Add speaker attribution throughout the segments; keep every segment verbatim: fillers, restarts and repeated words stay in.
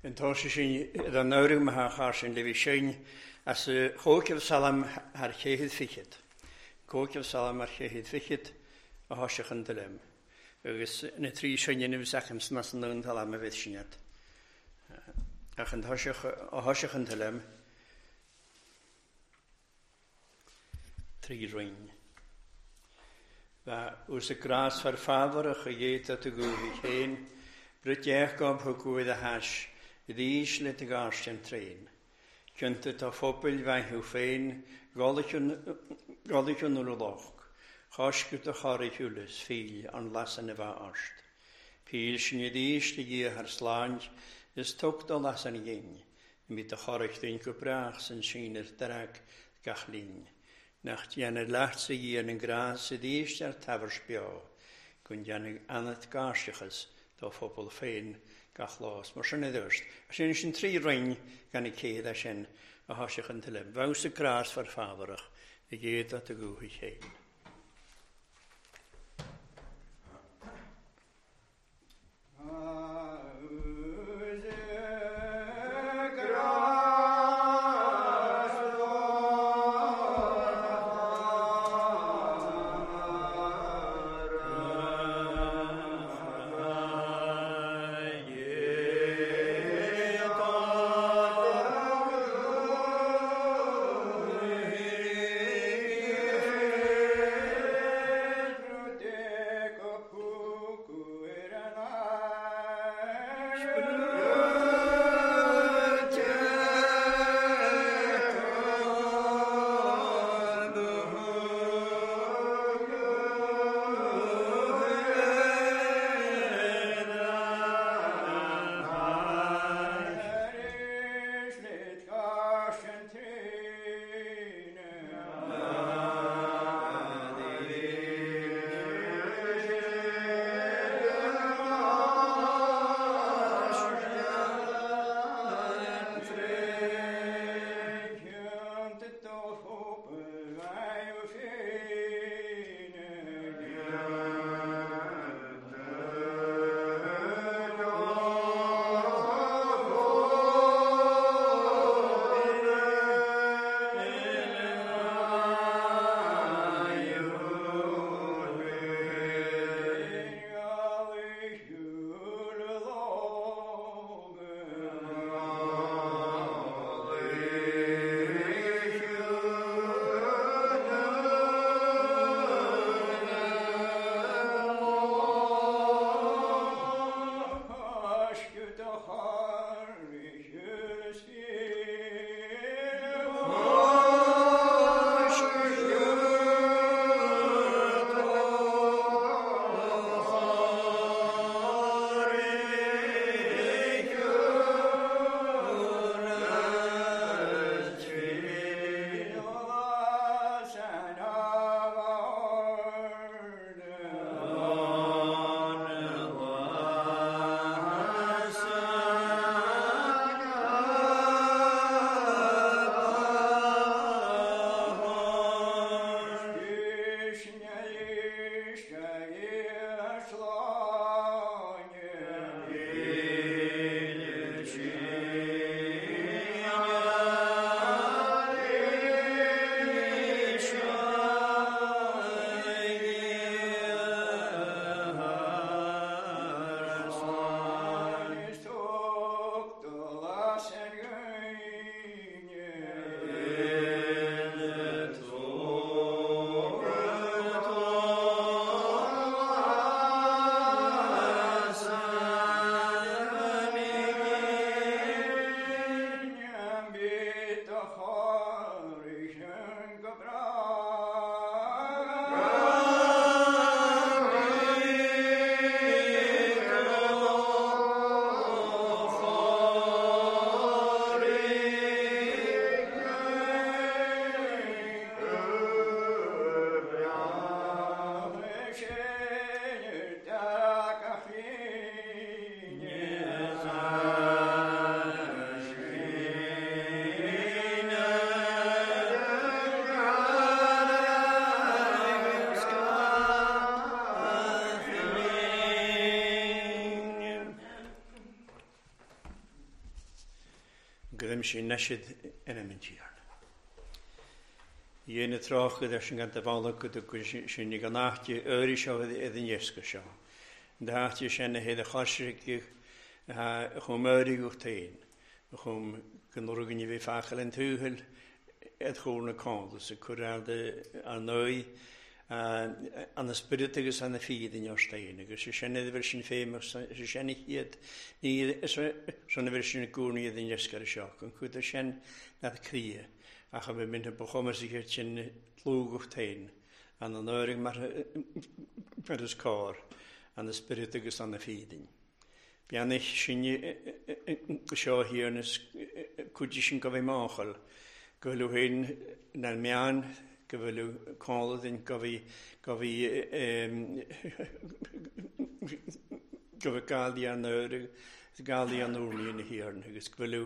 Speaker 1: An tá sin an nóir me char sin le bhí sin as chóceh salam thar chéad fichiid. Cóceh salam ar chéad fichiid a thá se chun lem. Agus na trí sin inmh secham sna san an talam a bheith sinad. Ach an a thá chun lem trí roinn. Ba ús a grás far fábharach a dhéta a gúhi chéin, Brut gob thu cuaid a hais, i le a gáiste an tréin. Cynta tá fópail bhaithú féin, gálaún nu loch, Cháscu a choirthiúlas fíl an lasan a bheith áist. Píl sin i ddís a dhia thar sláint, is tug do lasan ghin, mi a choircht go breach san sin ar drag gach linn. Nach déanamh leat sa dhia an grás i ddís ar tabhar speo, gun déanamh anat gáisteachas dá phobal féin gach lás. Mar sin dúirt. Sin sin trí roinn gan i céad a sin a thá se chun tuile. Bheith sa grás far fábharach i gcéad a gúthaí chéin.
Speaker 2: Yeah.
Speaker 1: Gydym sy'n nesydd yn y mynd iarn. I'n y troch gyda sy'n gan dyfalog gyda sy'n i gan ahti yri sio idd yn iesgo sio. Yn ahti sy'n hedd y chosrig chwm yri gwch tein. Chwm gynwrwg yn i fi ffachel yn tŵhyl ed chwrn y cond. Sy'n cwrdd ar nwy an y spirit agus an y ffydd yn o'r stein. Agus sy'n iddo fel sy'n ffeim, sy'n hyd, ni sy'n fel sy'n gŵr ni iddyn ysgar y sioc. Yn cwyd sy'n nath cria. Ach a mynd yn bochomas i sy'n lwgwch tein. An y nøring mar ys cor, an y spirit agus an y ffydd. Bianich sy'n sio hir nes cwyd sy'n gofio mochel. Gwylw hyn na'r mian, gyfylu colydd gofi gofi gofi gael i an gael i an wrni yn y hirn agus gyfylu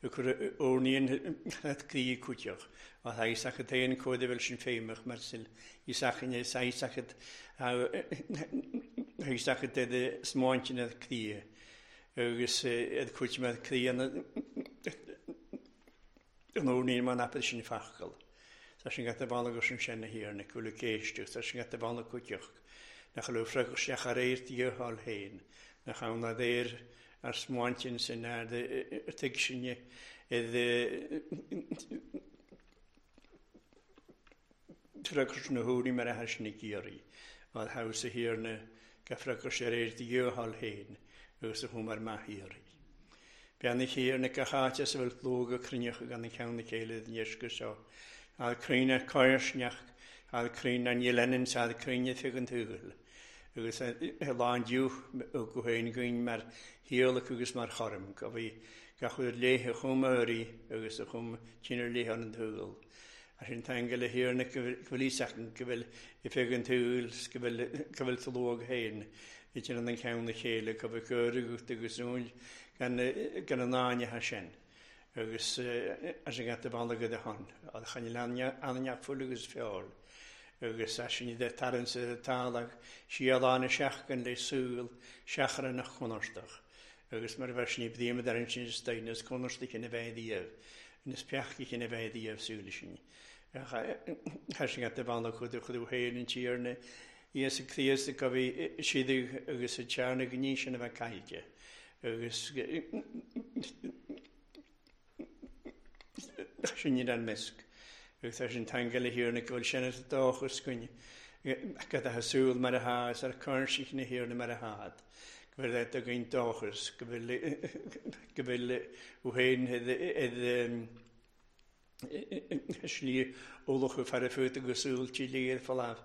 Speaker 1: wrni yn gri cwtioch a tha i sach y tein cwyd fel sy'n ffeimach mar sy'n i sach yn i sach y i sach y dedd smoint yn y cri agus edd cwtio mae'r cri yn yn wrni yn ma'n apeth sy'n ffachgal. Tá sin gat bhanna go sin sinna hir na cúla céisteach, tá sin gat bhanna cúteach, nach le fragach seach ar éir díortháil héin, nach ann na déir ar smáintin sin ar tuig sinne idd fragach na húri mar a thar sin i gíoraí, ar haws a hir na ga fragach ar éir díortháil héin, agus a chum ar maith híoraí. Beanna hir na gacháte sa bhfuil lóga cruinneach gan na ceann na chéile den dheisce seo. Al cruinne coirsneach, al cruinne an dhéanann sa cruinne fig an tuail. Agus a lán diúch ó go héin gúin mar hiolach agus mar chorm, go bhí gach uair léithe chum öirí agus a chum tinir léithe an tuail. A sin tangal le hiarna go bhfuil ísachan go bhfuil i fig an tuail, go bhfuil talóg héin, i tin an ceann na chéile, go bhfuil cur agus úil gan an áine ha sin. Agus as an gat bhanna go han, a chan anneach fuil agus feáil. Agus as sin de taran sa tálach, si a lána seachgan le súil, seachar nach chonarstach. Agus mar bheith sin i bhíam ar an sin stein, is chonarstach ina bheith díobh, is peachach ina bheith díobh súil sin. As sin gat bhanna chuid chuid héin an tíarna, Íosa Críost go bhí siad agus a tearna gní sin a bheith caillte. Agus sin iad an misc. Agus tá sin tangal le hiarna go bhfuil sin ar dóchas cúinne. Go a súil mar a há, is ar chur na hiarna mar a hád. Go bhfuil é do ghain dóchas, go bhfuil go bhfuil ó héin iad slí olach go fear fút agus súil tí léir falámh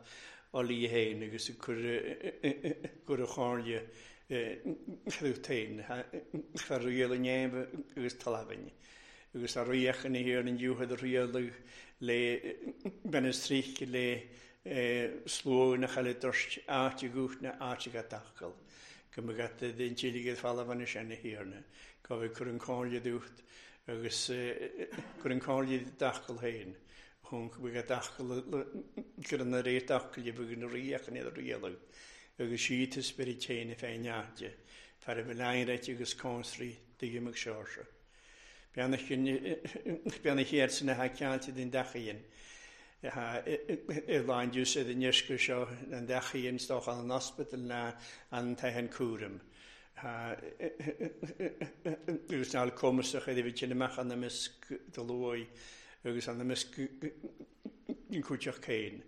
Speaker 1: á lí héin agus cur cur a cháirle chrútain fear riail an néimh agus talamhain. Agus a ríoch yn hir yn diwedd y riail le benestrych le sló na chael y dyrst áit i gwch na áit i gadachel. Gymryd dyn tílig i'r falaf yn y sian y hirna. Gofio cwr yn cóirle dwcht agus cwr yn cóirle dachel hein. Hwn cwr gadachel gyda na reir dachel i bwg yn ríoch yn i'r riail. Agus siad y spirit hein y fein áit. Fer y belain agus consri dygym ag siorsa. Beanna héir sin na haceáilte den dachaíonn. I lán dús iad an irsce seo an dachaíonn stoch an hospital na an tehan cúram. Agus náil cumasach iad a bhí sin amach an misc do luaigh agus an misc an cúiteach céin.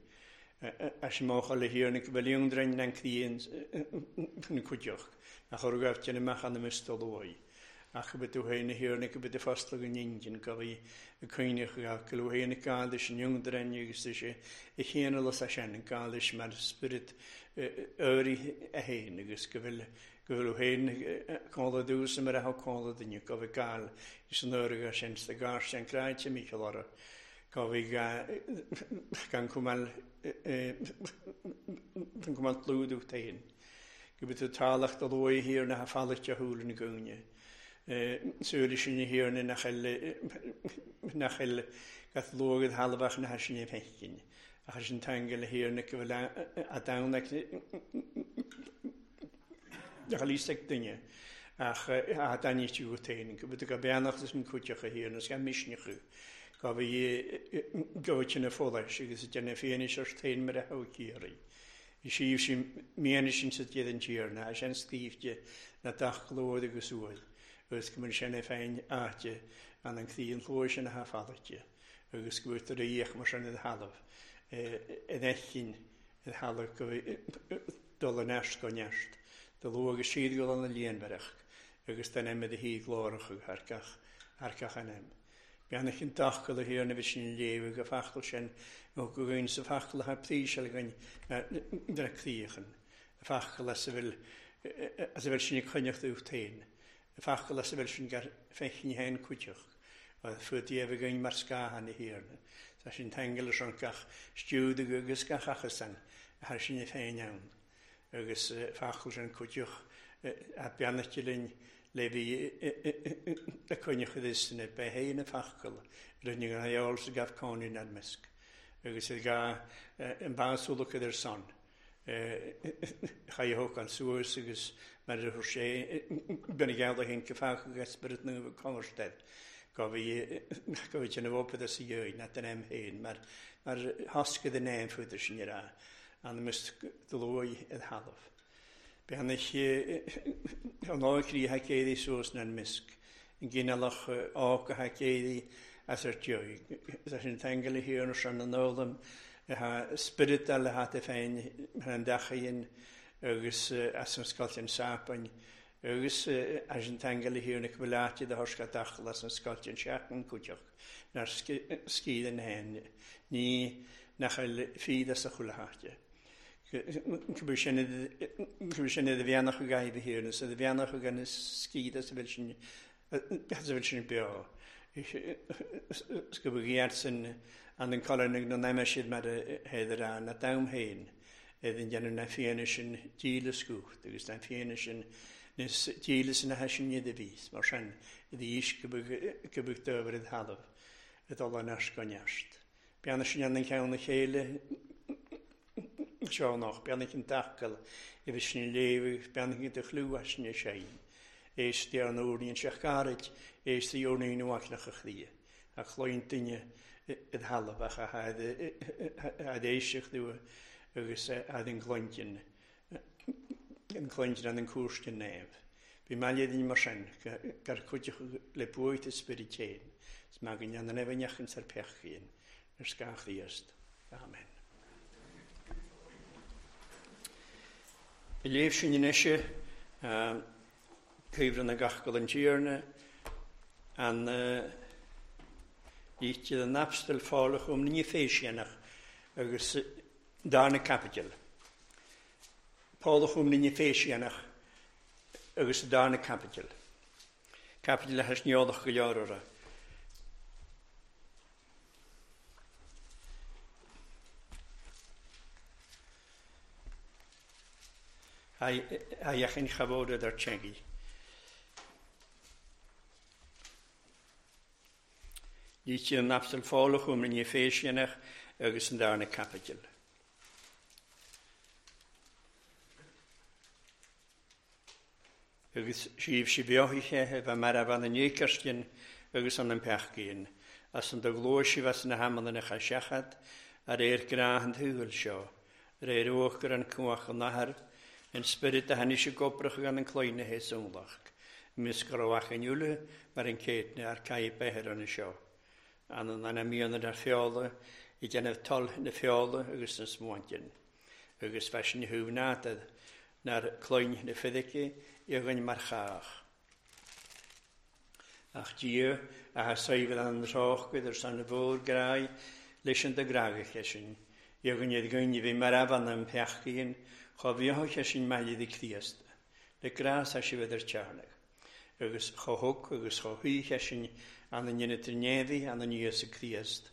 Speaker 1: A sin mócha le hiarna go bhfuil iongdrain an críon an cúiteach a chur gabh sin amach an misc do luaigh. Ach go bhfuil tú héin na hiarna go bhfuil fosla go n-injin go bhí y cuineach go bhfuil héin gális an iongdrain agus sé i chéanna las a sin an gális mar spirit öirí a héin agus go bhfuil go bhfuil héin cóla dús mar a cóla duine go bhfuil gáil is an öirí sin sa gár sin cráite Michael orra go bhí gan cumal gan cumal tlúdú téin go bhfuil tú tálach do luaigh thiar na ha fáilte a húil na gúine. Súil sin na hiarna nach nach gath luagad halbach na sin é fecin. Ach sin tangal hiarna go bhfuil a dawnach nach lísach duine. Ach a daníú tain, go bhfuil go beannach is an cuiteach a híar agus gan misneach go bhí go na fóláis agus déna féanis ar tain mar a cíirí. I síh sin mianna sin sa iad an tíarna, a sin stífte na dach glód agus uaid, agus go mun sinna féin áite an an clíon chlóir sin a fálaite, agus go bhfuil a mar sin i halamh in echin i halamh go dul an neist go neist, do lu agus siad go an líonmhareach, agus den em a hí glórach thar gach thar gach an em. Beannach an dachal a thiarna bhí sin léamh go fachtal sin nó go gcuin sa fachtal a príseal againn na críochan. A fachtal as a bhfuil as a bhfuil sin ag coinneacht ucht féin. A fachtal as a bhfuil sin gar feicinn féin cuiteach. Fuair Dia againn mar scáthan a thiarna. Tá sin tangal leis an gach stiúd agus gach achasan a thar sin féin ann. Agus fachtal sin cuiteach a beannacht linn le bhí a coinneach is na bethéin na fachcal rinne an heol sa gaf cónaí na measc. Agus i ga an básúlach idir son. Chaithfeadh an suas agus mar a chuir sé bena geall a hin go fach agus spirit nu converstead. Go bhí go bhí sin a bhopad as i na den em féin mar mar thoscaid an éin fuidir sin ar an mis do luaigh i halamh. Beannach an ácrí ha céirí suas na misc, an gcineálach áca ha céirí as ar teoigh. Is sin tangal a thiarna sin an ólam ha spirit le hat féin an dachaíon agus as an scoilt an sapain agus as an tangal a thiarna go bhfuil áite de thosca dachal as an scoilt an seachtain cuiteach nar scíd an héin ní nach bhfuil fíd as a chuile háite. Go sin a bheannach a gaibh a thiarna, a bheannach a gan scíd as a bhfuil sin as a bhfuil sin beo. Is go bhfuil sin an an colainn na n-aimse siad mar a héidir an na dam féin iad an déanamh na fianna sin díle scúcht agus na fianna sin níos díle sin a sin iad a bhís mar sin i dís go bhfuil dóibh i thalamh i dul an neart go neart. Beanna sin an ceann na chéile seo nach beannach an tacail i bhí sin léamh beannach de chlú as sin sé. Éist ar an úrnaíonn sé gairid, éist í úrnaíonn uaicneach a chlia. A chloíonn duine i thalamh ach a had éisteacht dúinn agus a had an gclointin an gclointin an an cúrsin naomh. Bhí maille duine mar sin gur cuideach le buaite a spiorad féin. Is maith go ndéanann an eibhneach ar peachín ar scáth Chríost. Amen. I léamh sin anois cuimhre na gach go an tíarna an líte an apstal fálach um ní féisianach agus darna capital. Pálach um ní féisianach agus darna capital. Capital a has neolach go leorara. A iachin chafod ar tsengi. Líte an apstal fálach um ní féisianach agus an darna capital. Agus síobh sí beochaithe a bheith mar a bhean an éicearstin agus an an peachcíon, as an do ghlóir sibh as na hamanna na chaseachad ar éir gnáth an thuail seo, ar éir uachtar an cuach an nathair, an spirit a tháinig sé gobrach gan an cloigne héasúlach, mis go raibh an iúla mar an céadna ar caith beithir an seo. An an an míonna ar feola, i déanamh toll na feola agus na smuantin, agus feisin thuamhnátad nar cloigne na fidice i ghain mar chách. Ach Dia a ha saibhil an rách idir san na mhór grái leis an de grágach sin, i ghain iad ghain bhí mar abhann an peachcíon, chomh bheocha sin maille de Chríost, le grás a sibh idir tearnach, agus chomh thug agus chomh thuíche sin an an dhéanamh neamhaí an an Íosa Críost,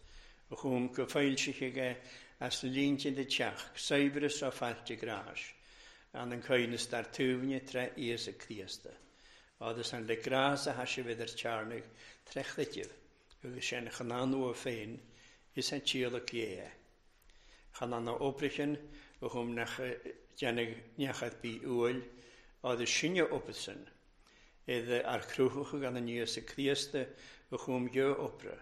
Speaker 1: a chum go foilsithe aige as na línte de teach, saibhreas á fáilte gráis, an an coinneas dar tuaimne tre Íosa Críosta. Agus an le grás a sibh idir tearnach tre chluitibh, agus sin chan anua féin is an tíolach dhé. Chan an obrichin a chum nach déanamh neachad bí uail, agus sinne opadsan, Edd ar crwchwch gan yn Iesu Crist y chwm geo opera,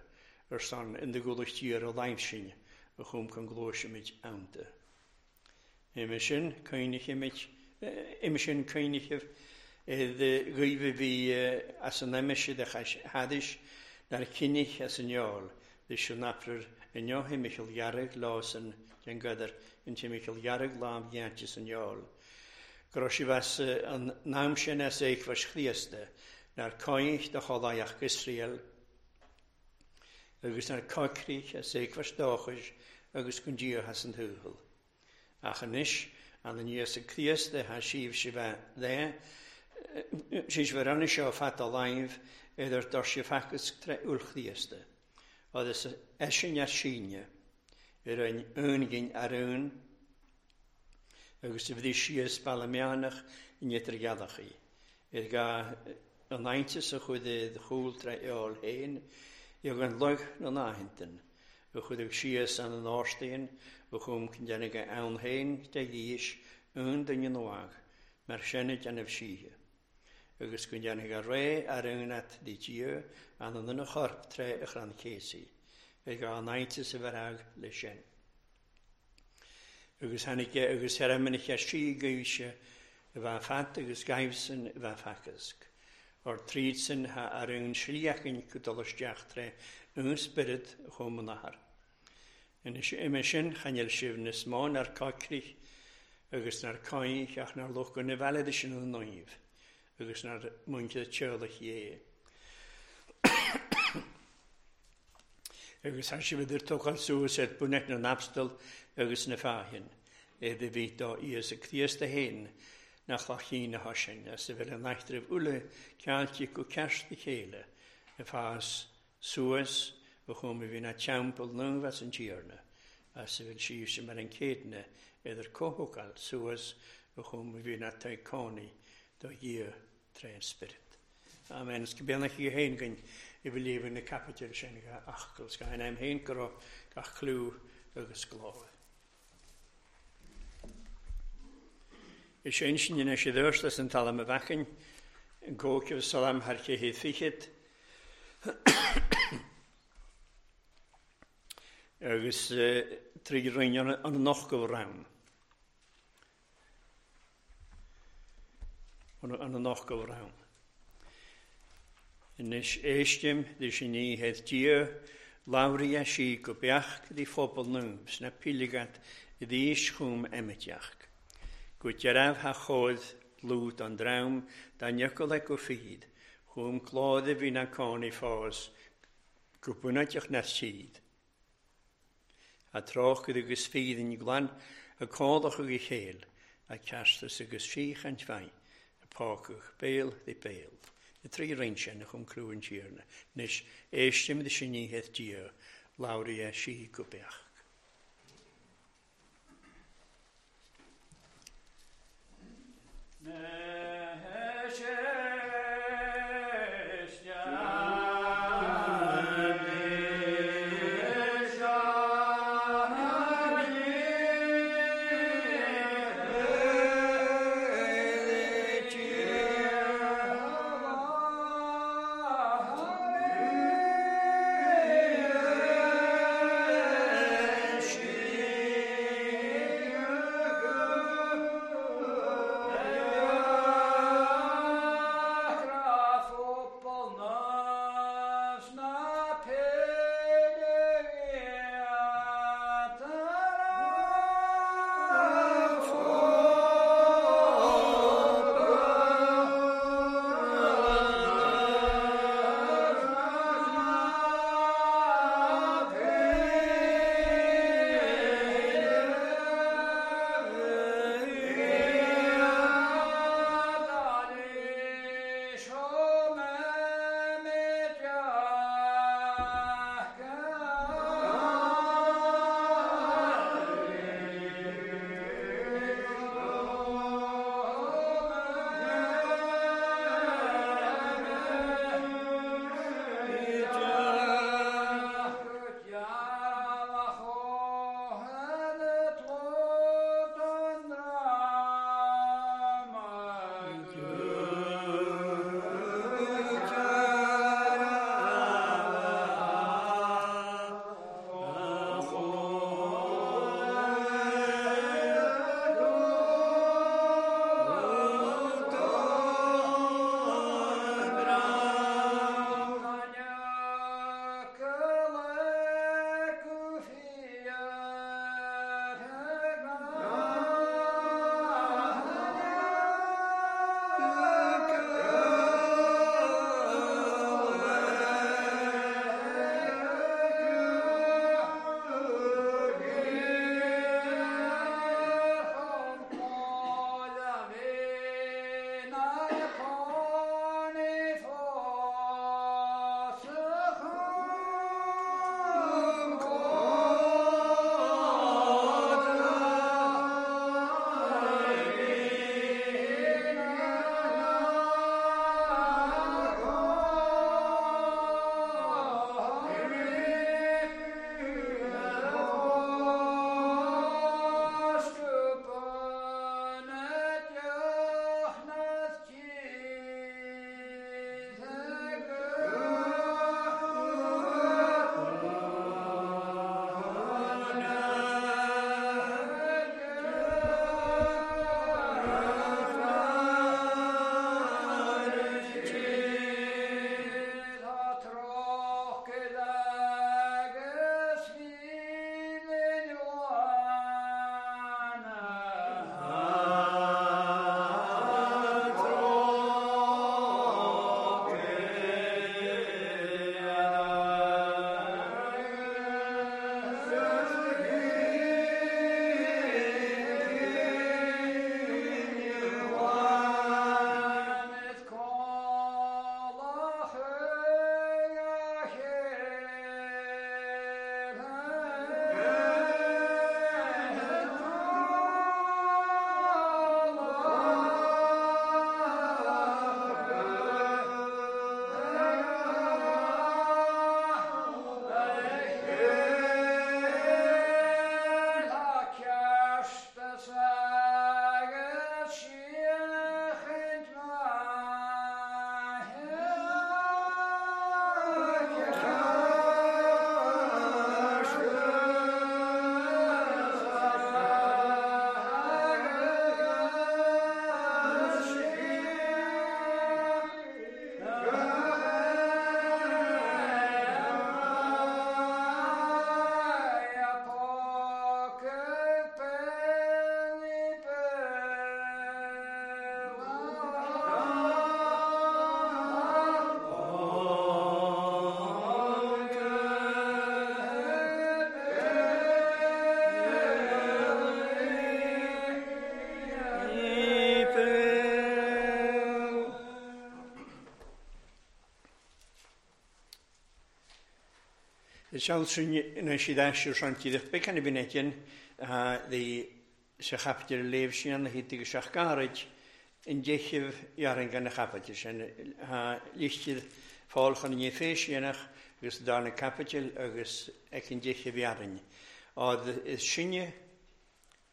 Speaker 1: ar son yn dy gwlwch tir o laimsin y chwm can glwysymid awnda. Ime sin ime sin coinnichef edd gyfe fi as an emisyd a hadis na'r cynnig as yn iol, ddys yn apryr yn io himichel jarg lás yn den gydr yn timichel jarg lam giantis yn iol. Grosifas an nam sin as eich Chríosta, nar coich do cholaiach Israel, agus nar coicrich as eich dóchais agus cun Dia has an thuathal. Ach anois an an Iesu Críosta ha sibh si bheith le, si bheith ranna seo fat a laimh idir dor si facas tre úr Chríosta, agus eisin as síne, ar an úngin ar ún, agus a bhí síos ballameánach in idir gealachaí. Ar ga an aintas a chuid de chúl tre eol héin, ag an loch na náhintan, a chuid ag síos an an áirstein, a chum cyn déanamh ann héin de dhís un duine nuag, mar sinna déanamh síthe. Agus go ndéanfaidh a ré ar aon di Dia an an duine chorp tre a chrann céasaí, ag an aintas a bheith le sin. Agus tháinig agus ar sí gaibhse a bheith fat agus gaibhsan a bheith facasc. Or tríd ha ar aon slíachan go dul isteach tre un spirit chum an athair. Ime sin chanel sibh níos mó nar coicrich agus nar coich ach nar luch go na bhealad sin an nóibh agus nar muinte teolach dhé. Agus thar sibh idir tógáil suas ar bunet na n-abstal agus na fáhin, é de bhí dá Íosa Críosta héin nach lachín a sin, as a bhfuil an eachtraibh uile ceáilte go ceart a chéile, a fás suas a chum a bhí na teampall nuamh as an tíorna, as a bhfuil síos mar an céadna idir cóthagáil suas a chum a bhí na taicónaí do Dhia tré an Spirit. Amen. Is go beannach í héin gin i bhfuil líomh na capital sin go achcail, 's go hain héin go raibh gach clú agus glóir. Is sin sin ina sé dúirt as an talam a bhechain, an cóiceh salam thar chéad fichead. Agus trí roinn an noch go ram. An noch go ram. Anois éistim de sin ní het Dia, labhraíonn sí go beach di phobal nua sna pílegat i dís chum eimiteach. Go dearmh ha chóid lúd an dream dá niocail le go fíd, chum clód a bhí na cónaí fás, go bunaiteach na siad. A trácht agus fíd in glan, a códach agus chéil, a ceastas agus síchaint bhain, a pácach béal de béal. Na trí roinn sin a chum clú an tíorna, anois éistim de sin ní het Dia, labhraíonn sí go beach.
Speaker 2: Yeah.
Speaker 1: Is na siad aisir sean becan a bhín the sa chapter léh sin na hí agus seach gairid in deichih jaran gan na chapital sin lichtir fáil ní féisianach agus dar na capital agus ag an deichih jaran. Ad is sinne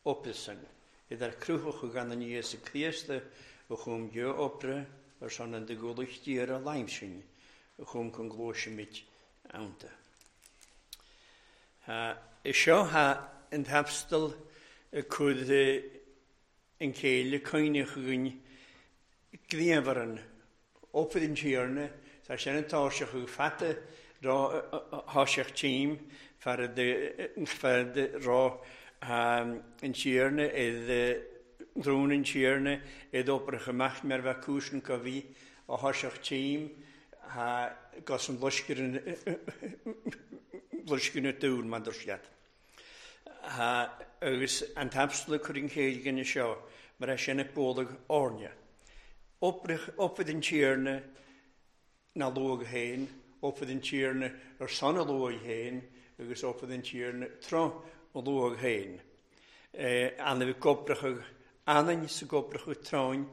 Speaker 1: opelsan, idir cruthach gan an Íosa Críosta a chum deo opra ar son an de goluchtíar a laim sin a chum chun glóisimid anta. Is seo ha an t-apstal cud an chéile coinneach againn gníomharan opad an tíorna, tá sin an táseach chu fata rá tháiseach tím far de rá an tíorna drún an tíorna id oprach amach mar bheith cúisn go bhí a tháiseach tím gas an loisceann na dúil mar siad. Agus an t-apstal chur an chéile ganna seo mar é sin bólag áirne. Opad an tíorna na luag héin, opad an tíorna ar son a luag héin, agus opad an tíorna tro a luag héin. Anna bhí gobrachadh anainn sa gobrachadh tráin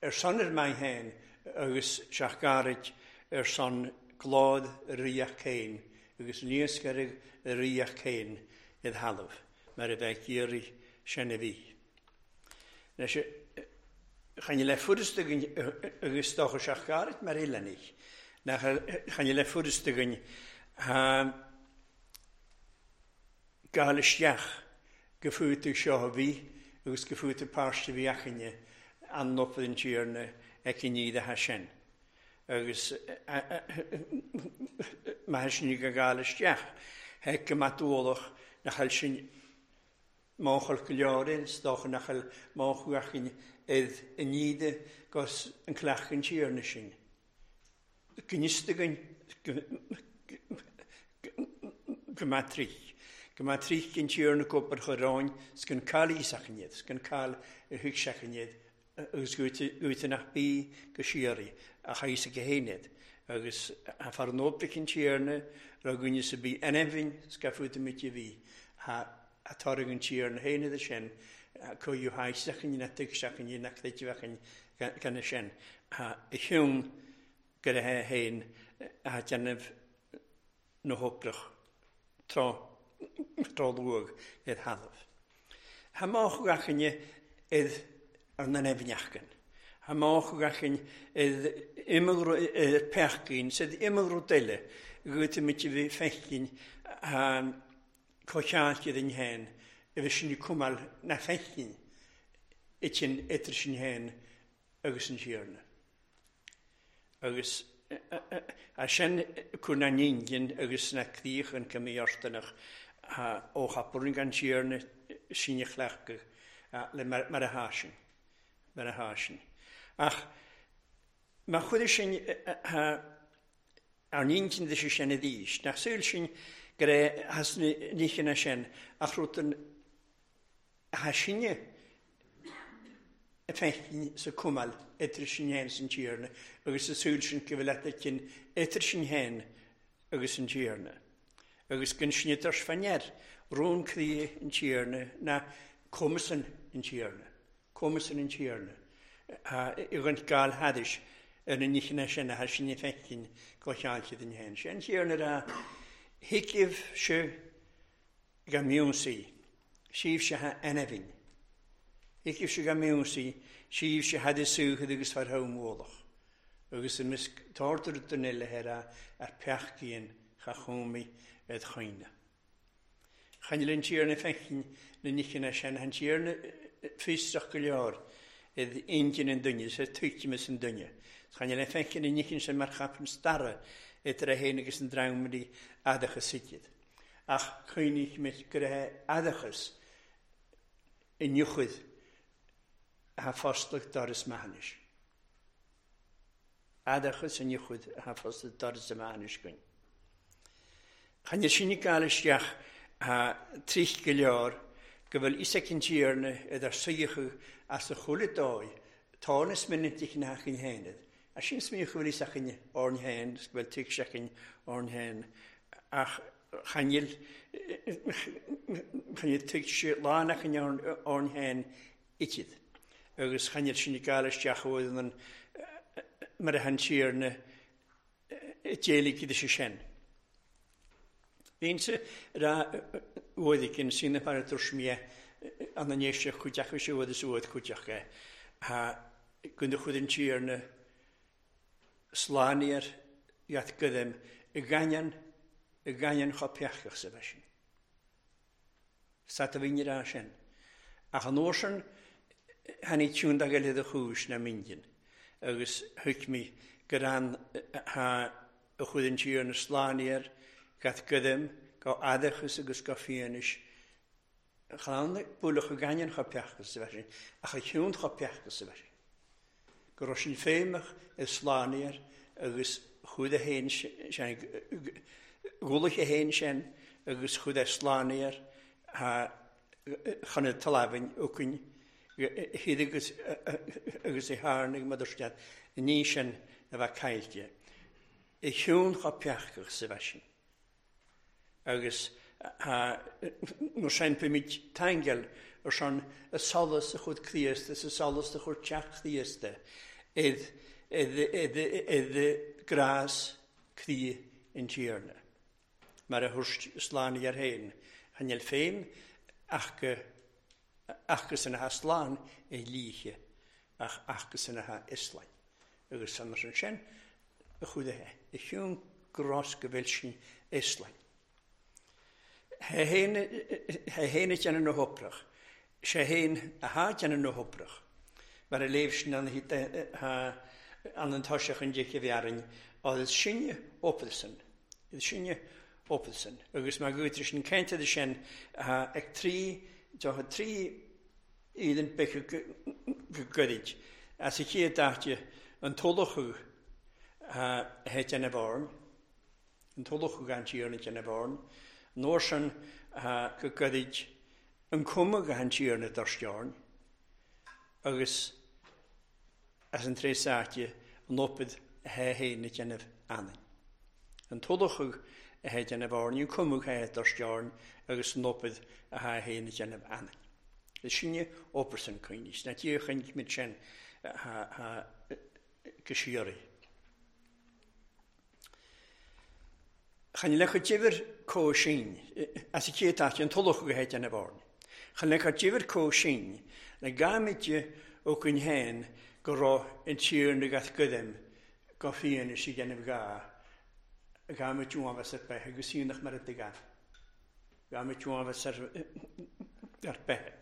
Speaker 1: ar son ar maith héin agus seach gairid ar son glád ríoch céin agus níoscarigh ríoch céin id thalamh mar a bheith iarraidh sin a bhí. Leis chan le furasta agus stocha seach gairid mar eileanich. Nach chan le furasta againn gáil isteach go fútú seo a bhí agus go fútú páiste bhí achainne an nopad an tíorna ag an níad a sin. Agus mar sin go gáil isteach, heic go matúlach nach bhfuil sin máchail go leor stocha nach bhfuil máchu achainn id an níide gus an cleach an tíorna sin. Gnísta againn go matrích. Go matrích an tíorna copar choráin 's gan cail ísachan iad, 's gan cail a thuigseachan iad agus goite nach bí go siaraí a chaisa go héinead. Agus a far nóprich an tíorna ra gúine sa bí anamhain scafuta mit a bhí a targ an tíorna héinead sin coú haisachan na tuigseachan na chléiteachan gan sin a hiún go le héin a déanamh na hoprach trá trá luag id thalamh. Ha máach gachinne id ar na neamhneachgan. Ha máach gachin id imagro pechgin, sed imagro deile, goite mit bhí fechgin cocheáilte den héin, a bhí sin cumal na fechgin itin idir sin héin agus an tíorna. Agus a sin cur na níngin agus na críoch an cymíortanach ó chapúrin gan tíorna sinne chleachadh le mar a hásin. Mar a hásin. Ach má chuid sin ar níngin de sin a dís, nach súil sin go raibh has níchina sin ach rud ha sinne a fechgin sa cumal idir sin héin san tíorna agus sa súil sin go bhfuil cinn idir sin héin agus an tíorna. Agus gan sin idir fanneir rún crí an tíorna na cumasan an tíorna. Cumasan an tíorna. I gan gáil hadis ar na níchina sin a ha sinne fechgin go cheáilte den héin. Sin tíorna a hicibh se go miúnsaí, síobh se ha anamhain. Hicibh se go miúnsaí, síobh se had súchad agus far ha mólach. Agus a mis tartar den eile hera ar peachcíon cha chómi ed choine. Chan le tíorna fechgin na níchina sin, han tíorna fistrach go leor id ingin an duine, sa tuigtimis an duine. Chan le fechgin na níchin sin mar chapan starra idir a héin agus an drammaí adachas siad. Ach chuinich mit go raibh adachas inniuchad ha fostlach doras mahanis. Adachas inniuchad ha fostlach doras mahanis gyn. Chan y sinne gael isteach ha trich go leor go bhfuil isaac an tíorna idir suíochadh as a chuile dóigh tánas minitich na hachin héanad. A sin smíoch go bhfuil isaac an orn héin, go bhfuil tuigseach an orn héin Ach chanil chanil tuigse lánach in orn hen itid. Agus chanil sin i gael isteach oedd yn mar a hantíarna déalaigh idir sé sin. Bhíonn ra uaidh sin na par tuairmí an an éiste chuideach sé uaid is uaid chuideach é. Ha gunda chud an tíarna slániar iad gydym y ganyan y ganyan cho peachach sa bheith sin. Sa a bhíon ra sin. Ach an uair tháinig tiún da eile de chúis na mindin. Agus thuig mi gur an ha a chud an tíarna slániar gat gydym go adachas agus go fianis. Chan buach a ganyan cho peachas sa bheith sin. Ach a chiún cho peachas sa bheith sin. Go raibh sin féimeach i slániar agus chud a hain sin gúlach a hain sin agus chud a slániar ha chan y talafin ucyn hyd agus agus i harnig madurstiad ní sin a bheith caillte. I chiún cho peachach sa bheith sin. Agus nó sin pimid taingel ar son y solas a chud Críost is y solas a chud teach Críosta id id id id grás crí in tíarna. Mar a thuirt sláni ar héin. Chanel féin ach go ach go san a ha slán i líche ach ach go san a ha islain. Agus san mar sin sin a chud a he. I chiún grás go bhfuil sin islain. He héin déanamh na hoprach. Sé héin a há déanamh na hoprach. Mar a léimh sin an an an toiseach an décha bhearrainn, agus sinne opelsan. Is sinne opelsan. Agus mar gúitir sin ceinta de sin ag trí, tá trí ílan becha go goirid. As a chéad daite an tolachú he déanamh orn, an tolachú gan tíarna déanamh orn, nóir sin go goirid an cuma go han tíarna dorsteorn, agus as an tré sáte an opid a he héin na déanamh anainn. An tolachú a he déanamh orn, an cuma he dorsteorn, agus an opid a he héin na déanamh anainn. Is sinne opersan cuinis, na tír chuin mit sin ha go siori. Chan le chu difir có sin, as y chéad áit an tolach go héit an bhorn. Chan le chu difir có sin, na gáimide ó cun héin go raibh an tír na gath gydym go fian is i gennaf ga, gáimid uanfas ar beth, agus sionach mar y gaf. Gáimid uanfas ar, ar beth.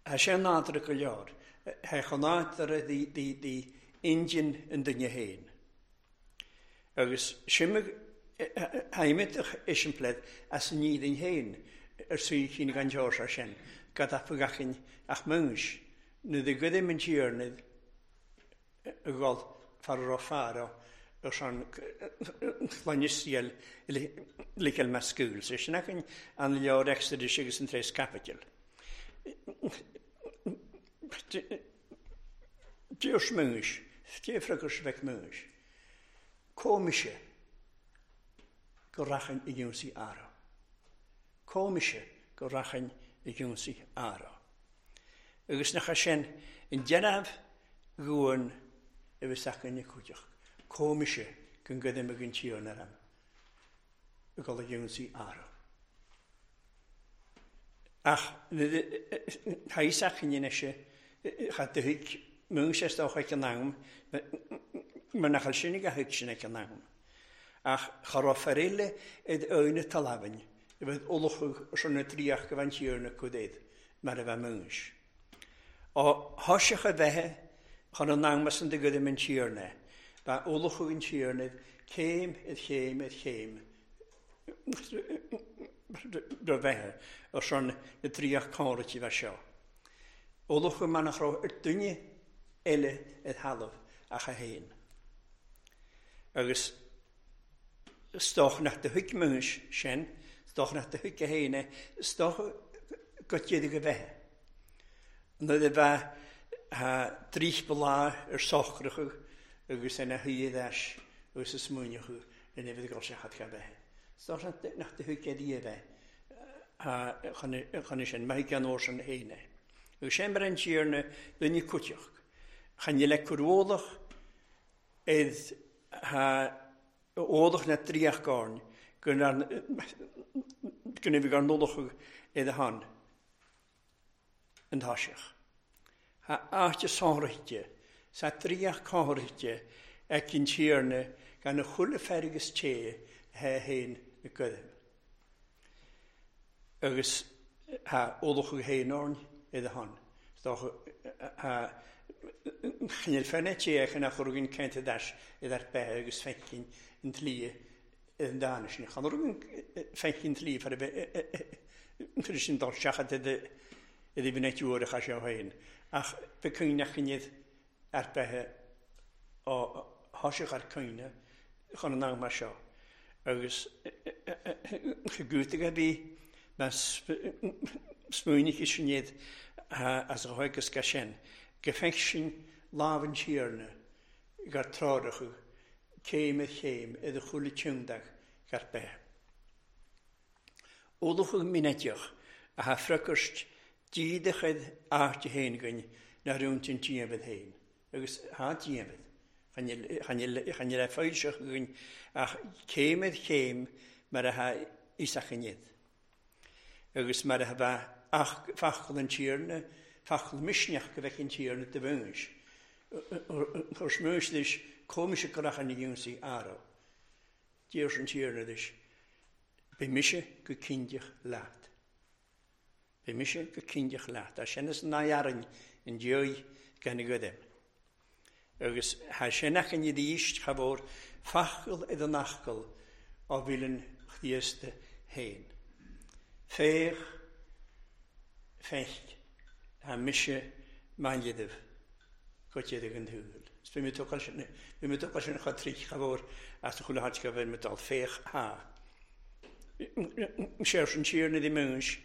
Speaker 1: Ha sé nádra go leor, ha chonádra di, di, di injin yn duine héin. Agus simig haimidach isimplead as an nídin héin ar suí cinn gan teoir ar sin, gad a gachin ach múis, nu de gydym yn tíarnid y gol far o faro ar son chlanisiel likel mascúl. So sin achan an leor Exodus agus an tres capital. Deus múis, défragus bheith múis. Cómise go rachan i gúnsaí ara. Cómise go rachan i gúnsaí ara. Agus nach sin in déanamh gúin a bheith acu na cuideach. Cómise go gcuidim ag an tír ar am. I gol i gúnsaí ara. Ach, thaís achan ina sé cha de thuig múin sé dá chuig an am, mar nach sin a thuig sin ag an am. Ach cha raibh fear id aoine talafin, a bheith olachú ar na tríoch go bhain tír na cuid mar a bheith múis. Ó thoiseach a bheithe chun an am san de gcuidim an tír ba olachú an tír céim id chéim id chéim do bheithe ar son na tríoch córaití bheith seo. Olachú mar nach raibh ar duine eile id thalamh ach a haon. Agus stoch nach de thuig múis sin, stoch nach de thuig a haon, stoch go dtéad go bheithe. Nuair a bheith drích belá ar socracha agus ina thuí leis agus a smuoineacha ina bhí go sé chad go bheithe. Is dócha nach do thuig é a bheith chun sin maith gan sin héine. Agus sin mar an Tiarna duine cuiteach. Chan le cur id ódach na tríoch gárn go bhí gar nolach id a han an táiseach. Ha áite sáraite sa tríoch cáraite ag an Tiarna gan a chuile fergus té he héin na gcuidim. Agus ha ódach héin orn id a han. Ha Chinel fenne té chan a churgin kente das id ar be agus fechin in tlie in danis. Chan rugin fechin tlie for for sin dal seachat id id bhí net uair a cha seo féin. Ach be cuineach chinid ar bethe ó thoiseach ar cuine chun an am mar seo. Agus gútaigh a bhí mas smuoinich is sin as a chuigus ga sin. Gefeich sin lámh an Tiarna gar tráireacha céim ar chéim i do chuile tiúndach gar beith. Ódach mineteach a ha fracast díadachad áite héin gainn na rúnt an tíamhad héin. Agus ha tíamhad. Chan le foilseach gainn ach céim ar chéim mar a ha isach inniu. Agus mar a ha bheith fachal an Tiarna fachal misneach go bheith an Tiarna de bhúis. Chur smúis leis cómise go racha na dúnsaí aró. Dúirt an Tiarna leis, Be mise go cinnteach leat. Be mise go cinnteach leat. A sin is na dhearn an dúi gan a gcuidim. Agus ha sin ach an íst cha bhór fachal id an achcal á bhílann Chríosta héin. Féach, feich, ha mise maididh go dtéadh an thuúil. Bhí mé tucail sin bhí mé tucail sin cha trí cha bhór as a chuile háit go bhfuil mé dul féach ha. Sé an Tiarna di múis,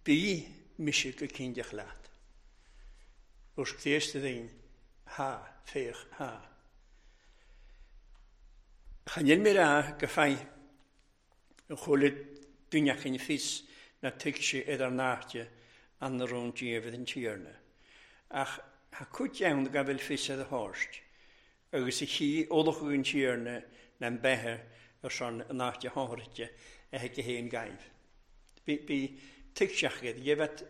Speaker 1: bí mise go cinnteach leat. Os Críosta daoine, ha, féach, ha. Chan níl mé rá go feidh an chuile duine cinn fios na tuigse idir náite an na rún díobh an Tiarna. Ach ha cuid ann go bhfuil fios ar a thabhairt, agus a chí ódach an Tiarna na beithe ar son an áite tháirte a heich héin gaibh. Bí bí tuigseach iad, dhébheat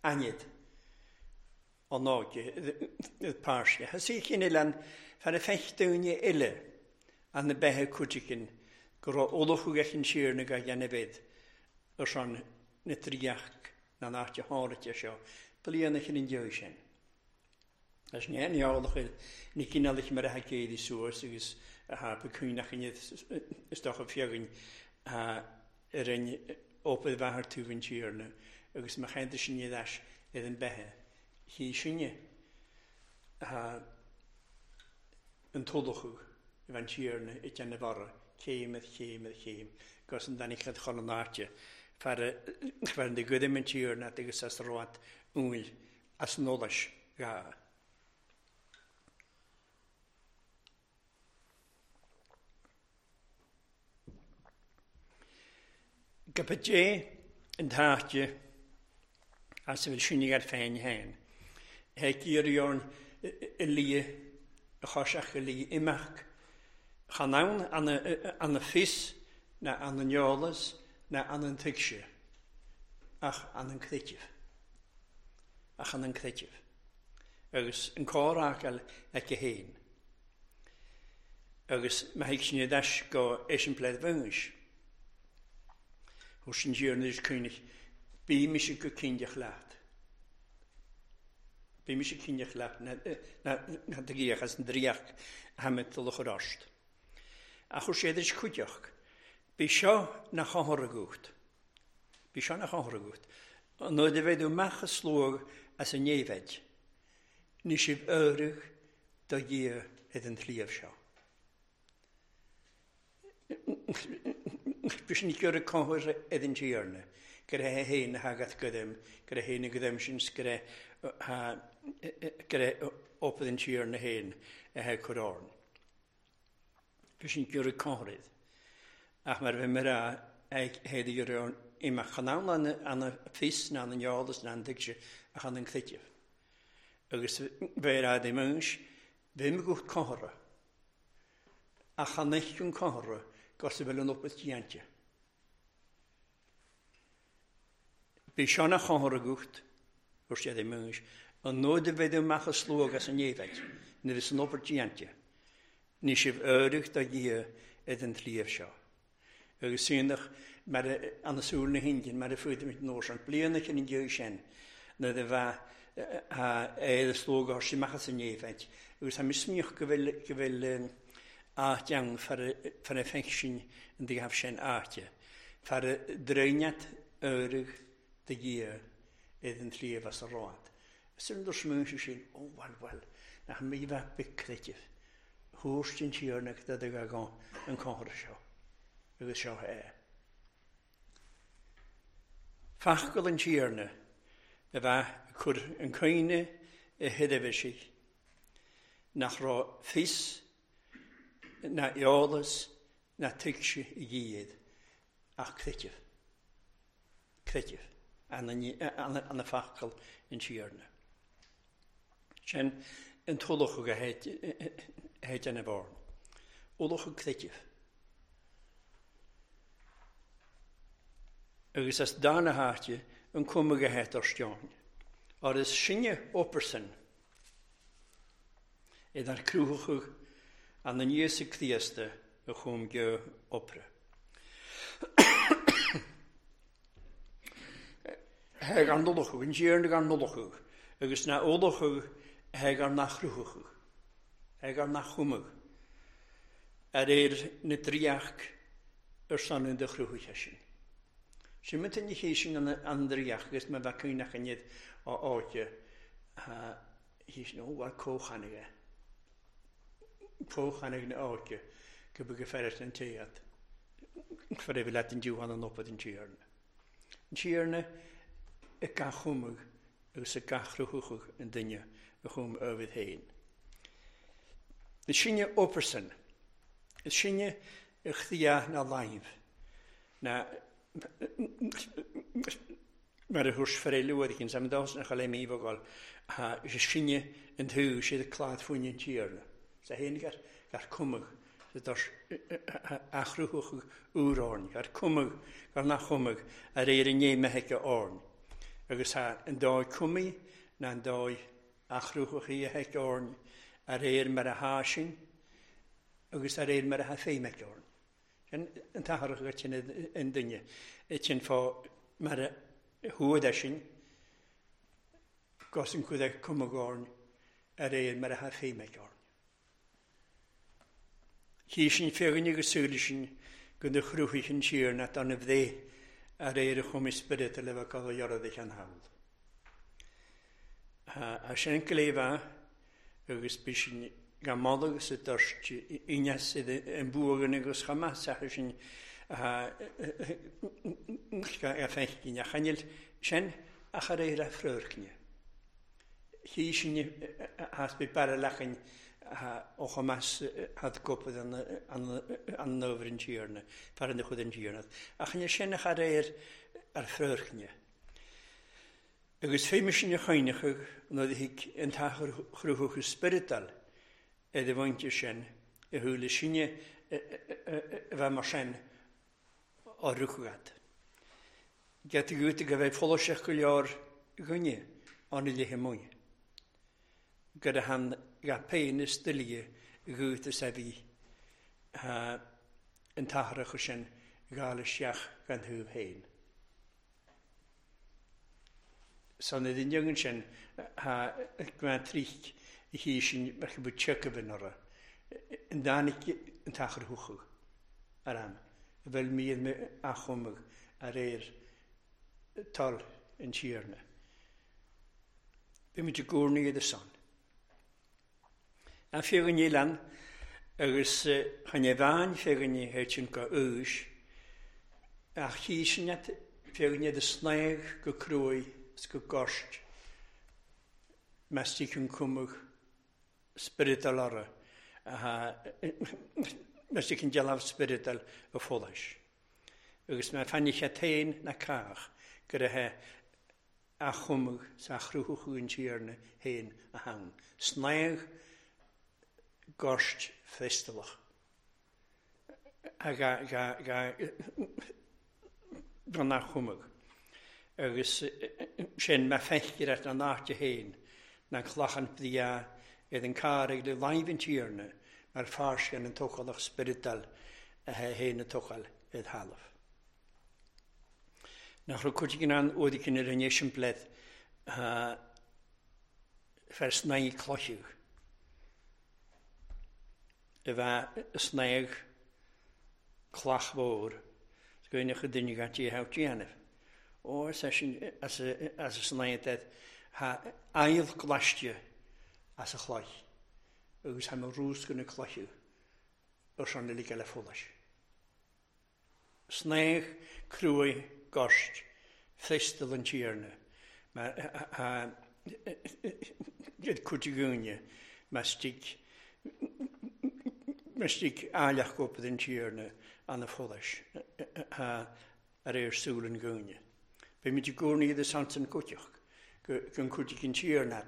Speaker 1: ainid an áige páiste. Ha sí cinn an fer a feich daoine eile an na beithe cuidigin go raibh ódach an Tiarna go dhéanamh bid ar son na tríoch na áite tháirte seo, bliana chin an deo sin. As ní an eolach ní cineálach mar a chéad suas agus a ha cuineach is dócha fiagainn ar an ópad bheathair tú an Tiarna agus má cheantar sin iad ais ar an beithe. Chí sinne an tódachú i bhean Tiarna i deanna barra, céim ar chéim ar chéim, gus an danig chad chun an áite fer an de gcuidim an Tiarna agus as ráit úil as an eolais gá. Go dé an táte as a bhfuil sinne ar féin héin. Heic iarraidh i lí a choiseach i lí imeach. Chan ann an a fios na an an eolas na an an tuigse ach an an creideamh. Ach an an creideamh. Agus an comhfhreagail aici héin. Agus má thuig sin deis go eiseampled bhúis. Hús sin Tiarna is cuineach, bí mise go cinnteach leat. Bí mise cinnteach leat na na gíoch as an dríoch hamet do luch. Ach chuir sé is cuideach. Bí seo na chóthar. Bí seo na chóthar agat. Nuair a bheidh amach a slóg as an néimheid, ní sibh áireamh do Dhia id an tsliabh seo. Bí sin gur cóthar id an Tiarna, gur é héin na hagat gudem, gur é héin na gudem sin gur é gur é opad an Tiarna héin a he chur orn. Bhí sin giorra comhraid. Ach mar bhí mé ag héad gur imach chan ann an fios ná an eolas ná an tuigse ach an an creideamh. Agus bheir ad i mins, bhí mé go comhra. Ach an eich an comhra gus a bhfuil an opas déanta. Bhí seanna chomhra gucht, gur siad i mins, an nóid a bheith amach a slóg as an éifeid, na bhí san obair déanta. Ní sibh áireach do Dhia ag an tsliabh seo. Agus síneach mar an súil na hIndin, mar a fuaid nóis an bliana cin an deo sin, na de bheith é a slóg ar sí amach as an éifeid. Agus tá misneach go bhfuil go bhfuil áit ann far a feic sin an dtígh sin áite. Far dréineat áireach do Dhia ag an tsliabh as a rád. Sin dur smuin sin, ó bhuel bhuel, nach mí bheith big creideamh. Thuairt an tíorna do do gan an comhra seo. Agus seo é. Fachgal an tíorna a bheith cur an cuine i thuidirmhisigh nach raibh fios na eolas na tuigse i gcéad ach creideamh. Creideamh an na fachgal an tíorna. Sin an tulach go héit an bhorn. Ulach creideamh. Agus as dána háite an cuma go héit ar steáin. Ar is sinne opersan iad ar cruthachadh an an Íosa Críosta a chum go opra. Heag an nulachadh, an tíorna gan nulachadh, agus na ulachadh heag an nachruthachadh, heag an nachchumadh, ar éir na dríach ar son an de chruthach sin. Sin mynd yn chi sin an dríach agus mae fe cynach yn iad o áite hí sin ó war cóchanige. Cóchanige na áite go bu go ferret an téad. Fer e let an dúhan an opad an tíarna. An tíarna y gachwmwg agus y gachrwchwch yn duine y chwm öfydd hein. Y sinne operson, y sinne y chdia na laif, na mar y hwrs fferelu wedi cyn sam dos na chael ei mi fogol, a y sinne yn thw sydd y clad fwyn yn tíarna. Sa hyn gar, gar cwmwg, sydd dos achrwchwch ŵr orn, gar cwmwg, gar na chwmwg, ar eir yn ei meheg orn. Agus ha yn doi cwmi, na'n doi achrwchwch i hec orn, ar eir mar a hásin, agus ar eir mar a ha feimec orn. Yn yn taharach go yn yn duine, sin fá mar a thuad sin, gos yn cwyd cwmwg orn, ar eir mar a ha feimec orn. Hi sin fégann agus súil sin go na chrúchaich an tír na dan y fdde ar eir y chwm ysbryd y lefel gael o iorad eich an hawl. A sin yn glefa agus bys sin gan modag agus y dyrst unas sydd yn bwg agus chamas a sin a fechgyn a chanil sin ach ar eir a ffrwrcni. Hi sin has by baralachan o chamas had gopad an an nofr yn tíarna, far yn y chwyd yn tíarna. A chanil sin ach ar eir ar ffrwrcni. Agus féim sin y chaineachag yn oedd hic yn tachar chrwchwch y spirital ed y fwynt sin y hwyl y sinne y fe mar sin o rwchgad. Get y gwyd y gyfei ffolosiach gwylio'r gwynnu ond i lehe mwy. Gyda han ga pein y styliau y gwyd y sefi yn taharach o sin gael y siach gan hwyf hein. So na ddyn yn sin ha gwan trich i hi sin merch bod tjöcafyn ora. Yn danig yn tachar hwchwg ar am. Fel mi yn achwmwg ar eir tol yn tíarna. Bhí muid i gcónaí iad y son. An fégann ní lan agus chan e bhain fégann ní héit sin go úis ach chi sin at fégann iad y snaig go crwy is go gost mestig yn cwmwg spiritual ara a Mas an dealbh spioradal a folais. Agus má fanfaidh sé féin ná cách go raibh a chumadh sa chruthú an Tiarna féin a thann. Snáth goirt freastalach. Gan a chumadh. Agus sin má feictear at an áite féin na clachan bria iad an carraig le láimh an Tiarna mar fáisceann an tógálach spioradal a héin a tógáil id thalamh. Nach raibh cuid an uaidh ar an eiseampled fer snáth cloicheadh. A bheith snáth clach mhór, 's go ndéanfadh duine gan tí a dhéanamh. Ó, as as a snáth ha aill glaiste as a chloich, agus ha mo rúsca na cloicheadh ar son uilig eile folais. Snáth cruaidh goirt freastal an Tiarna, mar iad cuid againne mar stig mar stig áilleach obair an Tiarna an a folais ar ar súil an gúine. Beimid i gcónaí iad san cuiteach go an cuid an Tiarna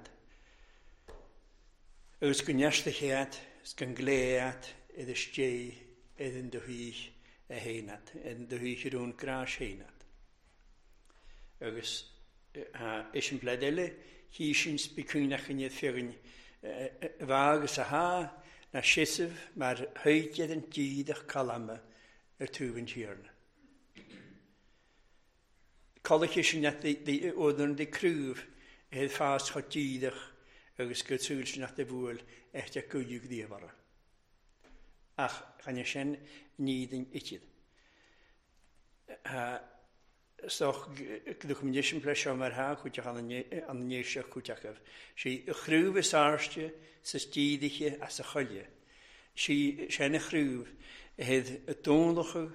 Speaker 1: agus go neiste chéad is go ngléad iad istigh iad in do thí a héanad, in do thí rún grás héanad. Agus is an bleid eile, hí sin spicúnach in iad féachain bha agus a há na seasamh mar thuigead an díadach calama ar túb an Tiarna. Colache sin net odan de crúf het fás chot díadach agus go túil sin net de bhuail echt a cuiú díobhara. Ach chan sin nídin iad. Stoch gdúch min sin ple seo mar ha chuteach an an néise chuteachah. Sí a chrúh is áirste sa díideche as a cholle. Sí sin a chrúh het a dónlacha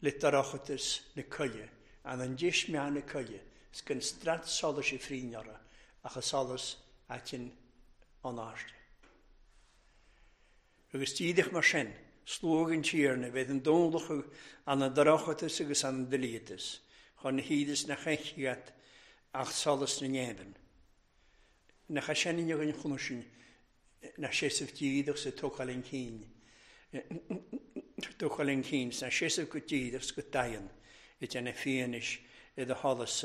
Speaker 1: le darachatas na colle, an an dis meán na colle, 's gan strat solais i fríneara ach a solas atin an áirste. Agus díideach mar sin, slóg an Tiarna bheith an dónlacha an an darachatas agus an dlíatas, chun na hídas na chechiat ach solas na néban. Na cha sin inne an chunu sin na sésamh díadach sa tógáil an cinn. Tógáil an cinn, na sésamh go díadach go daon i déanamh fianaise i do sholas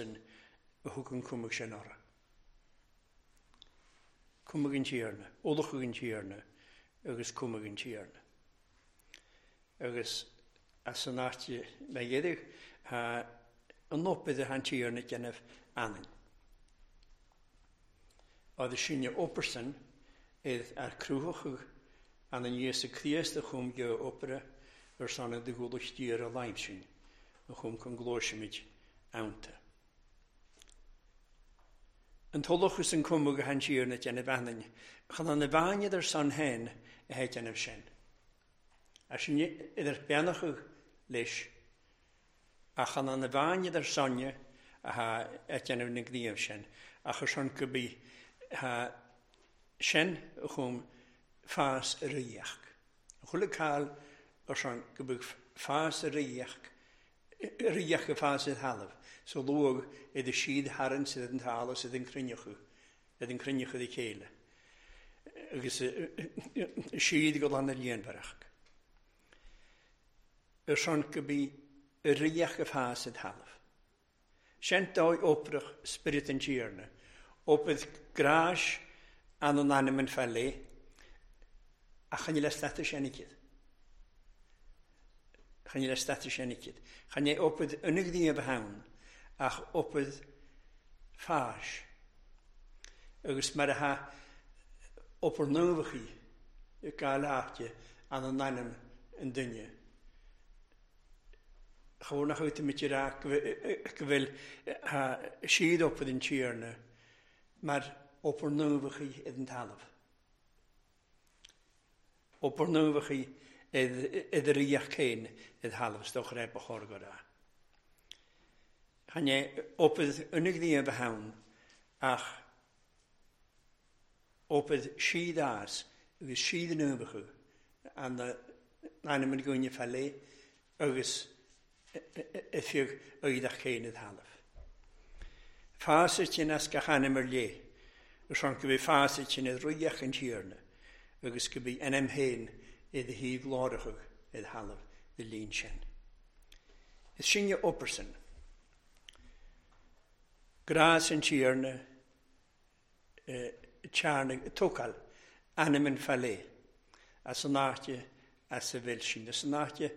Speaker 1: a thug an cumhadh sin orthu. Cumhadh an Tiarna, ullachadh an Tiarna agus cumhadh an Tiarna. Agus as an áit me dhéidir an obair a an Tiarna déanamh anainn. Agus sinne opersan iad ar cruthachadh an an Íosa Críost a chum go opera ar son de ghualacht tír a láimh sin a chum chun gluaisimid anta. An tolachas an cumhadh a han Tiarna déanamh anainn, chan an na bhaine ar son hen a hé déanamh sin. A sin idir beannachadh leis, ach chan an na bhaine ar sonne a ha a déanamh na gníomh sin, ach ar son go bí ha sin a chum fás a ríoch. Chuile cáil ar son go bhfuil fás a ríoch, ríoch a fás i thalamh, so luag idir siad tharann siad an talamh siad an cruinneachú, iad an cruinneachú de chéile. Agus siad go lan na líonmhaireach. Ar son go bí ríoch a fás i thalamh. Sin dóigh oprach spirit an Tiarna, obair grás an an ainm an feile, ach chan le status sin iad. Chan le status sin iad. Chan é obair ionigdí a bheith ach obair fáis. Agus mar a ha obair nuachaí i gael áite an an ainm an duine. Chomh nach bhfuil muid rá go bhfuil siad obair an Tiarna mar obair nuachaí i den talamh. Obair nuachaí i ríoch céin i thalamh stoch raibh ba chóir go rá. Chan é obair ionigdí a bheith ann ach obair siad as agus siad nuachaí an ainm an gúine fallé agus a fiag oidach céin id thalamh. Fása sin as gach ainm ar lé, agus an go bhí fása sin id ruíoch an tíorna, agus go bhí ainm féin id thaobh láireachadh id thalamh de líon sin. Is sinne opersan. Grás an tíorna tearna tócail ainm an fallé as an áite as a bhfuil sin, as an áite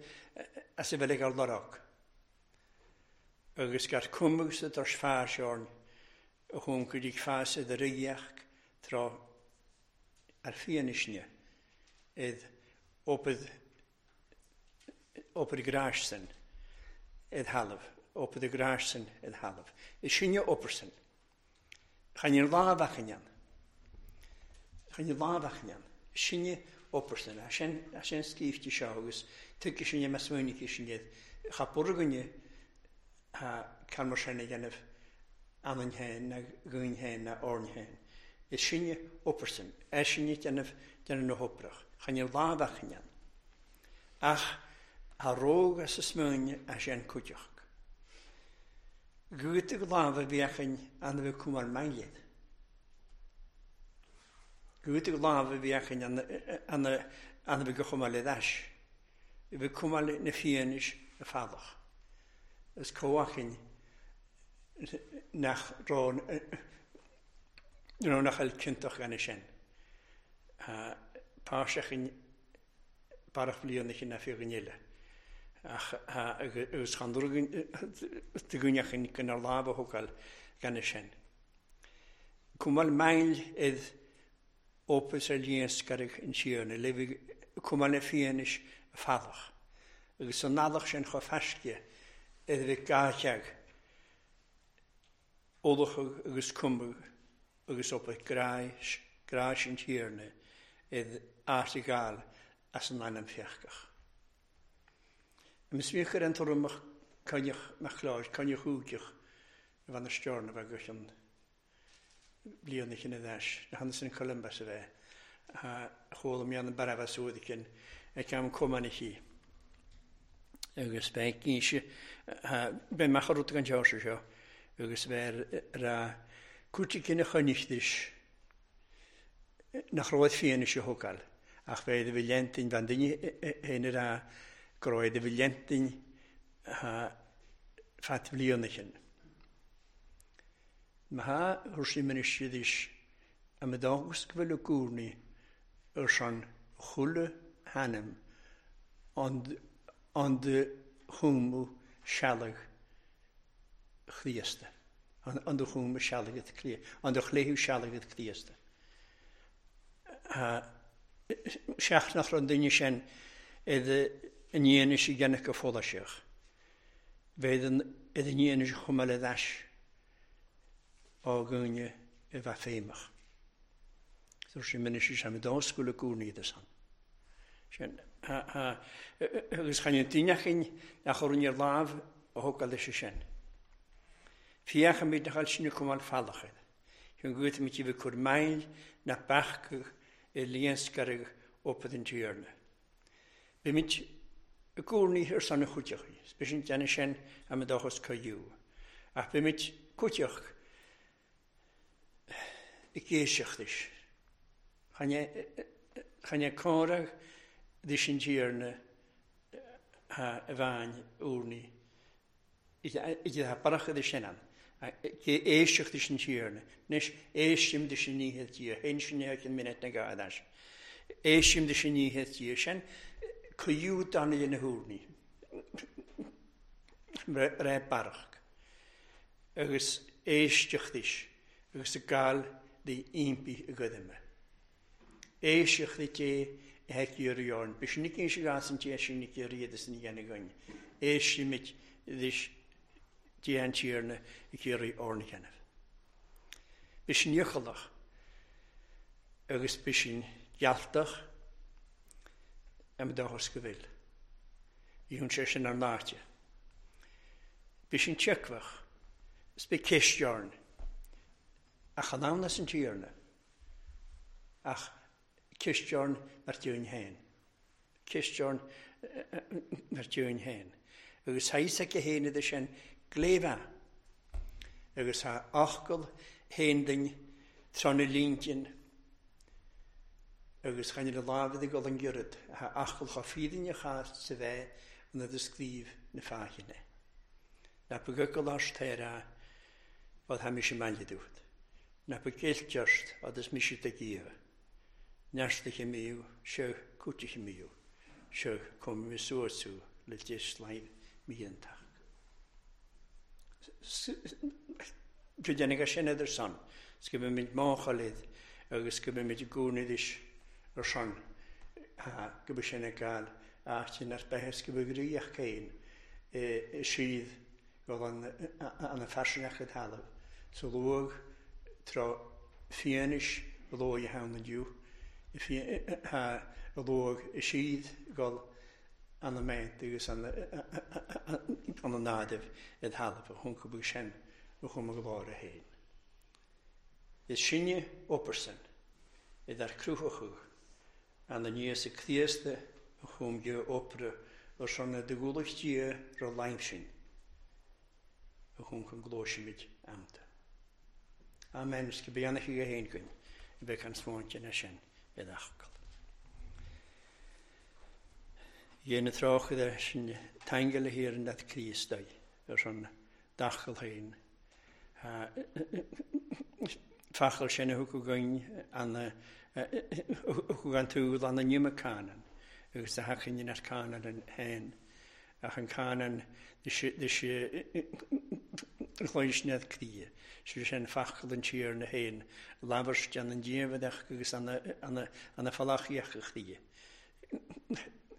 Speaker 1: as a bhfuil ag ar lorg. Agus gar cumug sa dors fáseorn a chun go dtí fás id ríoch tráth ar fianaisne id opad opad grásan id thalamh, opad grásan id thalamh. Is sinne opersan. Chan ar lámhachan. Chan ar lámhachan. Sinne opersan. A sin a sin scrífte seo agus tuigfidh sinne measúnaithe sin iad. Cha burgainne ha can mar sin a dhéanamh anann féin na gúin féin na orn féin. Is sinne opersan. É sinne déanamh déanamh na hoprach. Chan ar lámhachan. Ach a róg as a smuine a sin cuideach. Gúta lámh a bhíochain an bheith cumar mangéad. Gúta lámh a bhíochain an an bheith go chumar le dais. Bheith cumar na fianis a fadach. Is comhachain nach rón nach eil cinnteach gan sin. Páiseachin barach blianach na fiú eile. Ach agus chan dúneachan gan ar lámh a thógáil gan sin. Cumal mail id opus ar líon scarach in síorna, le cumal na fianis a fadach. Agus an nadach sin cho feisce id bheith gáteag olachag agus cumag agus op gráis, gráis an tíorna id áirtegáil as an ainm feachach. Mis bhíoch ar an tuairim coinneach nach chláir, coinneach úgeach a bheith na stiúrna bheith go an bliana chin a dheis, na hanas an Columbus a bheith, chuala mé an barabas uaidh ag am cumanna. Agus beidh cínse, beidh mach rud gan teoirse seo, agus bheith ra cúrsaí cinn a choinneachtais nach raibh fianaise a thógáil, ach bheith a bhí lentin bhean duine féin a rá go raibh a bhí lentin fat bhliana chin. Ma thuair sí ministridis a me dágus go bhfuil a gúrnaí ar son chuile hainm an de chúmú sealadh Chríosta. An de chúmú sealadh Chríosta. An de chléthú sealadh Chríosta. Seach nach an duine sin iad an dhéanamh i gceannach go follasach. Bheith iad an dhéanamh chomh maith le dais á gúine i bheith féimeach. Dúirt sé ministry sem dá scoil gúnaí san. Sin agus chan an duineachin nach chur ar lámh a thógáil leis sin. Fiachaimid nach bhfuil sin cumáil fallachad. Chun go bhfuil bheith cur maill na beachadh i líonscarach opad an tíorna. Bímid i gcónaí ar son na chuideachaí, B'shin déanamh sin am a dóchas coiú. Ach bímid cuideach i géiseachtais. Chan é córa dis an tíorna a bhain úrnaí. Idir ha barach idir sin an. Éisteacht is an tíorna. Anois éistim dis an níche tír, Héin sin an minute na gádas. Éistim dis an níche tír sin, cuiú danna na húrnaí. Ré barach. Agus éisteacht is, agus a gáil de impi a godaime. Éisteacht i té a heiciú jorn. Bys sin cén se gas an té sin ní riadas ní gana gain. Éistimid dis dé an tíorna i céirí orna cheanamh. Bys sin iochalach agus bys sin gealtach am dóchas go bhfuil. Bhí sé sin ar náte. Bys sin tseacmhach, is bí ceist jorn. Ach an ann as an tíorna. Ach ceist jorn mar dúinn féin. Cisteorn ar dúinn féin. Agus thaís aici féin idir sin gléibhe. Agus tá fhocal féin duinn tráth na líntin agus chan ar a lámh ag dul an ghiorraid. Tá fhocal chomh fírinneach sa bheith an a scríobh na fáithine. Ná ba gcucal ort ar a fad tá mise i mbaile dúirt. Ná ba gcilt ort agus mise do Dhia. Neartaithe míú, seo cúitithe míú, seo cum suas tú le deis miantach. Go déanfaidh sin idir san, 's go mbeimid máchailid agus go mbeimid i gcónaí ar son go bhfuil sin ag gael áit inar beithis go bhfuil ríoch céin i siad go an an fairsingeach i dtalamh. Sa luag tráth fianaise luaigh a ann inniu, a luag i siad go an méint agus an an nádaimh i dtalamh a thung go sin a chum a glór a haon. Is sinne opersan idir cruthachadh an an Íosa Críosta a chum go opera ar son na dúlacht Dia ro laim sin a chum chun glóisimid amta. Amen, is go beannaithe go haon againn a bheith an smáinte na sin i d'fhocal. Dhéana tráchta sin taingeal a thiar in Críost ar son d'fhocal féin. Fachal sin a thug againn an thug an túl an an Canaan agus a hachin ar Canaan an féin ach an Canaan chloisnead cría. Si sin fachal an tír na héin, labhairt an an díomhadach agus an an falachiach a chría.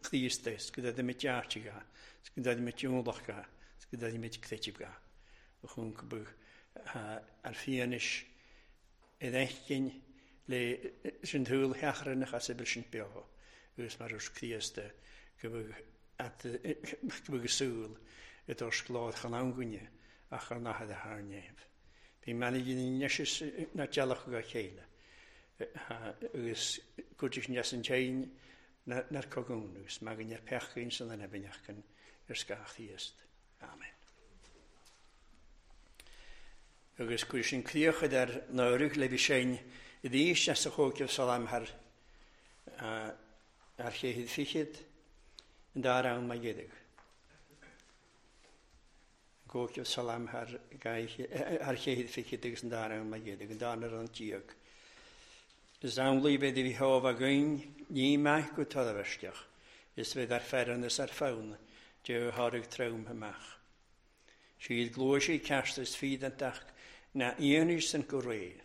Speaker 1: Chríostais, go dtí mit deartiga, go dtí mit dúlacha, go dtí mit creitiga. A chun go bh ar fianis i dheicinn le sin túl heachranach as a sin beo agus mar urs Críosta go bhfuil go súil i dors glód chan angaine ach ar nachad a thar néamh. Bhí manigin neis na dealach go chéile agus cuidir neas an tein nar cogún agus magan ar pechcin san an ebinneachcan ar scáchtíost. Amen. Agus cuir sin críochad ar náirich le bhí sein i ddís as a chóiceh salam thar ar chéhid fichid an dá ann ma dhéidir. Cóiceh salam thar ar chéhid fichid agus an dá ann ma dhéidir, an dá ar an tíag. Is amhlaidh bheith bhí hábh againn ní maith go tadhaisteach, is bheith ar fearann is ar fonn de tháirg trom amach. Siad gluaisí ceart is fídantach na íonis san go ré,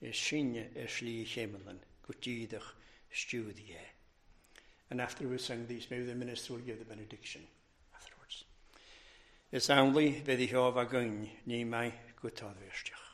Speaker 1: is sinne ar slí chéimelan go díadach stiúdaí é. And after we sung these, maybe the minister will give the benediction afterwards. Is amhlaidh bheith bhí hábh againn ní maith go tadhaisteach.